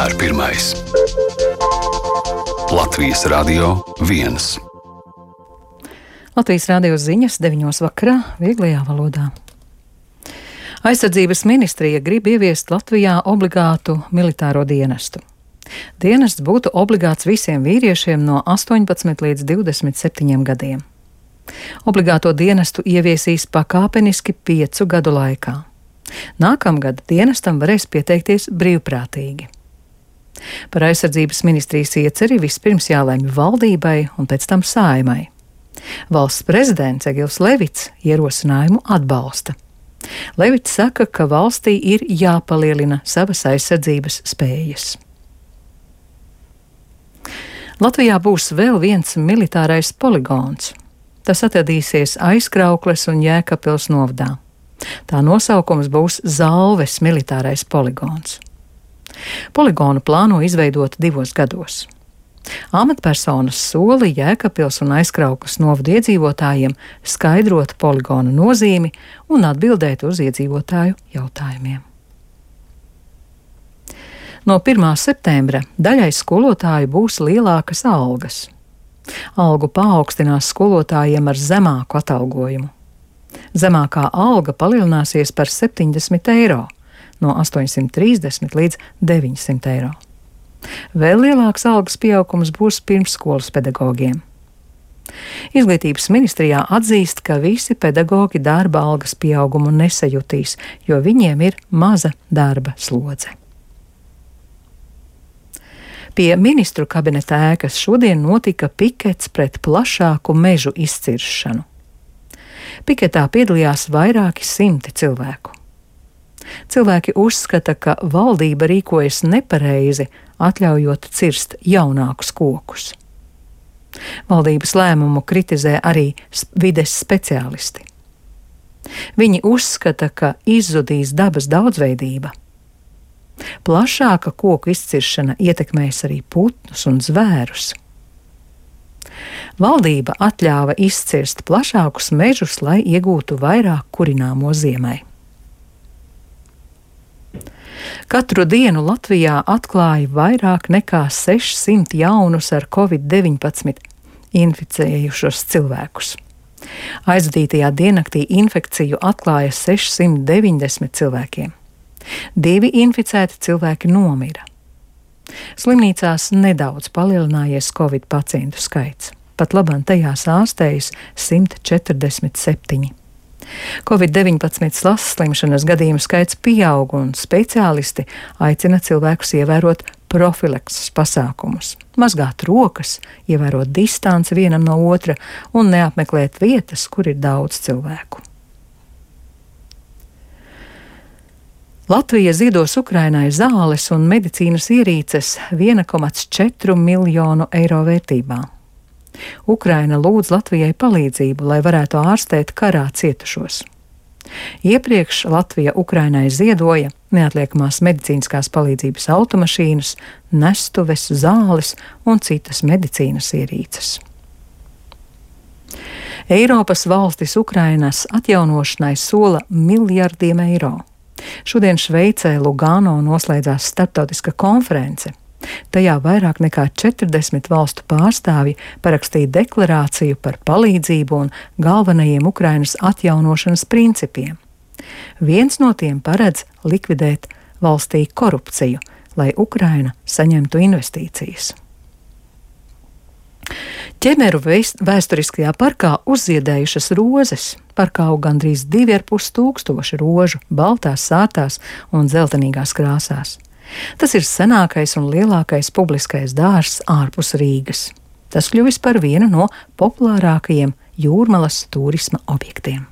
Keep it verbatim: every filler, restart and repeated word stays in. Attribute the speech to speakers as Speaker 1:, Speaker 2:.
Speaker 1: vienmēr pirmais. Latvijas Radio viens.
Speaker 2: Latvijas radio ziņas deviņos vakarā vieglajā valodā. Aizsardzības ministrija grib ieviest Latvijā obligātu militāro dienestu. Dienests būtu obligāts visiem vīriešiem no astoņpadsmit līdz divdesmit septiņiem gadiem. Obligāto dienestu ieviesīs pakāpeniski piecu gadu laikā. Nākamgad dienestam varēs pieteikties brīvprātīgi. Par aizsardzības ministrijas ieceri vispirms jālemj valdībai un pēc tam Saeimai. Valsts prezidents Egils Levits ierosinājumu atbalsta. Levits saka, ka valstī ir jāpalielina savas aizsardzības spējas. Latvijā būs vēl viens militārais poligons. Tas atradīsies Aizkraukles un Jēkabpils novadā. Tā nosaukums būs Zalves militārais poligons. Poligonu plāno izveidot divos gados. Amatpersonas sola Jēkabpils un Aizkraukles novadu iedzīvotājiem skaidrot poligonu nozīmi un atbildēt uz iedzīvotāju jautājumiem. No pirmā septembra daļai skolotāju būs lielākas algas. Algu paaugstinās skolotājiem ar zemāku atalgojumu. Zemākā alga palielināsies par septiņdesmit eiro, no astoņsimt trīsdesmit līdz deviņsimt eiro. Vēl lielāks algas pieaugums būs pirmsskolas pedagogiem. Izglītības ministrijā atzīst, ka visi pedagogi darba algas pieaugumu nesajutīs, jo viņiem ir maza darba slodze. Pie ministru kabineta ēkas šodien notika pikets pret plašāku mežu izciršanu. Piketā piedalījās vairāki simti cilvēku. Cilvēki uzskata, ka valdība rīkojas nepareizi, atļaujot cirst jaunākus kokus. Valdības lēmumu kritizē arī vides speciālisti. Viņi uzskata, ka izzudīs dabas daudzveidība. Plašāka koku izciršana ietekmēs arī putnus un zvērus. Valdība atļāva izcirst plašākus mežus, lai iegūtu vairāk kurināmo ziemai. Katru dienu Latvijā atklāja vairāk nekā sešsimt jaunus ar covid deviņpadsmit inficējušos cilvēkus. Aizvadītajā diennaktī infekciju atklāja sešsimt deviņdesmit cilvēkiem. Divi inficēti cilvēki nomira. Slimnīcās nedaudz palielinājies covid pacientu skaits. Pat labāk tajās ārstējas simt četrdesmit septiņi. covid deviņpadsmit slimšanas gadījumu skaits pieaug un speciālisti aicina cilvēkus ievērot profilakses pasākumus, mazgāt rokas, ievērot distanci vienam no otra un neapmeklēt vietas, kur ir daudz cilvēku. Latvija ziedos Ukrainai zāles un medicīnas ierīces viena komā četri miljonu eiro vērtībā. Ukraina lūdz Latvijai palīdzību, lai varētu ārstēt karā cietušos. Iepriekš Latvija Ukrainai ziedoja neatliekamās medicīniskās palīdzības automašīnas, nestuves, zāles un citas medicīnas ierīces. Eiropas valstis Ukrainas atjaunošanai sola miljardiem eiro. Šodien Šveicē Lugano noslēdzās starptautiska konference. Tajā vairāk nekā četrdesmit valstu pārstāvji parakstīja deklarāciju par palīdzību un galvenajiem Ukrainas atjaunošanas principiem. Viens no tiem paredz likvidēt valstī korupciju, lai Ukraina saņemtu investīcijas. Ķemeru vēsturiskajā parkā uzziedējušas rozes. Parkā aug gandrīz divi ar pus tūkstoši rožu, baltās, sārtās un dzeltenīgās krāsās. Tas ir senākais un lielākais publiskais dārzs ārpus Rīgas. Tas kļuvis par vienu no populārākajiem Jūrmalas turisma objektiem.